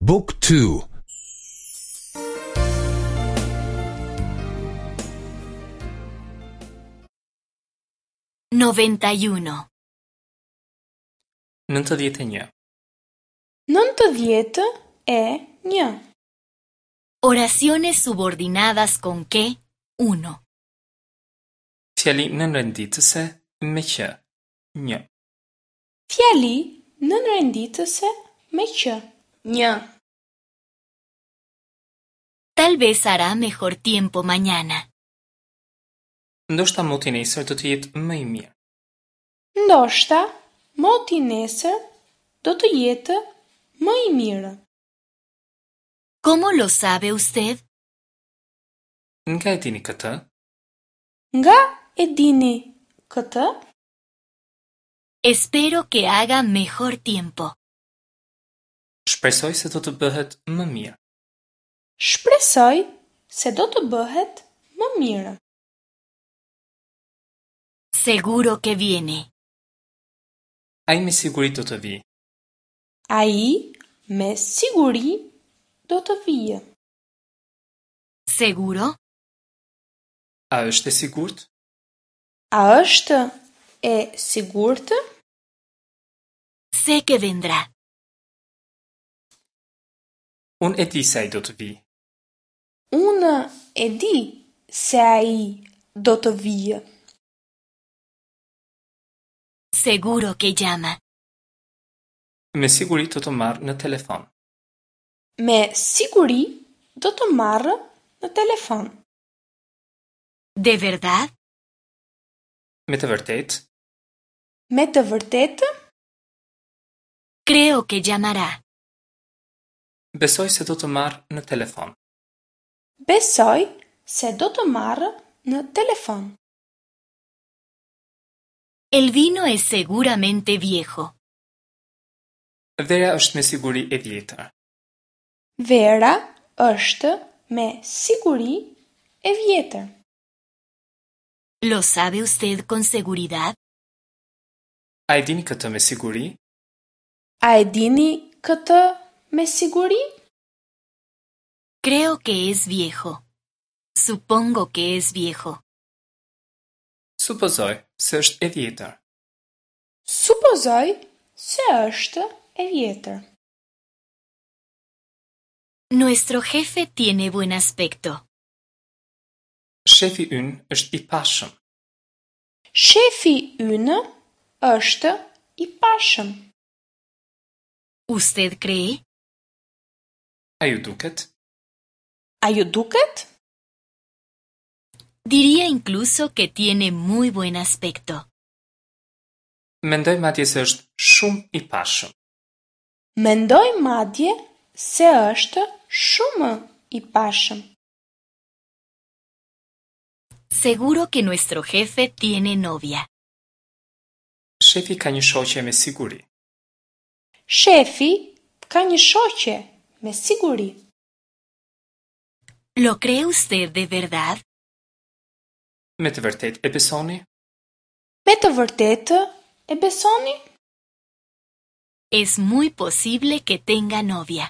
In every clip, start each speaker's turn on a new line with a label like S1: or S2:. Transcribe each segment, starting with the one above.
S1: Book 2
S2: 91.
S3: 91.
S4: 91.
S2: Oraciones subordinadas con que 1.
S3: Fjali nënrenditëse me që. 1.
S4: Fjali nënrenditëse me që. 1.
S2: Tal vez hará mejor tiempo mañana.
S3: Ndoshta moti nesër do të jetë më i mirë.
S4: Ndoshta moti nesër do të jetë më i mirë.
S2: ¿Cómo lo sabe usted?
S3: Nga e dini këtë?
S4: Nga e dini këtë?
S2: Espero que haga mejor tiempo.
S3: Shpresoj se do të bëhet më mirë.
S4: Shpresoj se do të bëhet më mirë.
S2: Seguro que viene.
S3: Ai me siguri do të vijë.
S4: Ai me siguri do të vijë.
S2: ¿Seguro?
S3: A është e sigurt?
S4: A është e sigurt?
S2: Sé que vendrá.
S3: Unë e di se ai do të vijë.
S4: Unë e di se ai do të vijë.
S2: Seguro que llama.
S3: Me siguri do të marrë në telefon.
S4: Me siguri do të marrë në telefon.
S2: ¿De verdad?
S3: Me të vërtetë?
S4: Me të vërtetë?
S2: Creo que llamará.
S3: Besoj se do të marrë në telefon.
S4: Besoj se do të marrë në telefon.
S2: El vino es seguramente viejo.
S3: Vera është me siguri e vjetër.
S4: Vera është me siguri e vjetër.
S2: ¿Lo sabe usted con seguridad?
S3: A e dini këtë me siguri?
S4: A e dini këtë me siguri?
S2: Creo que es viejo. Supongo que es viejo.
S3: Supozoj se është e vjetër.
S4: Supozoj se është e vjetër.
S2: Nuestro jefe tiene buen aspecto.
S3: Shefi ynë është i pashëm.
S4: Shefi ynë është i pashëm.
S2: ¿Usted cree?
S3: A ju duket?
S4: A ju duket?
S2: Diría incluso que tiene muy buen aspecto.
S3: Mendoj madje se është shumë i pashëm.
S4: Mendoj madje se është shumë i pashëm.
S2: Seguro que nuestro jefe tiene novia.
S3: Shefi ka një shoqe me siguri.
S4: Shefi ka një shoqe me siguri.
S2: ¿Lo cree usted de verdad?
S3: Me të vërtetë e besoni?
S4: Me të vërtetë e besoni?
S2: Es muy posible que tenga novia.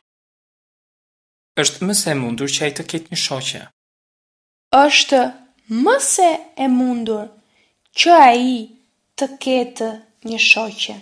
S3: Është më se e mundur që ai të ketë një shoqe.
S4: Është më se e mundur që ai të ketë një shoqe.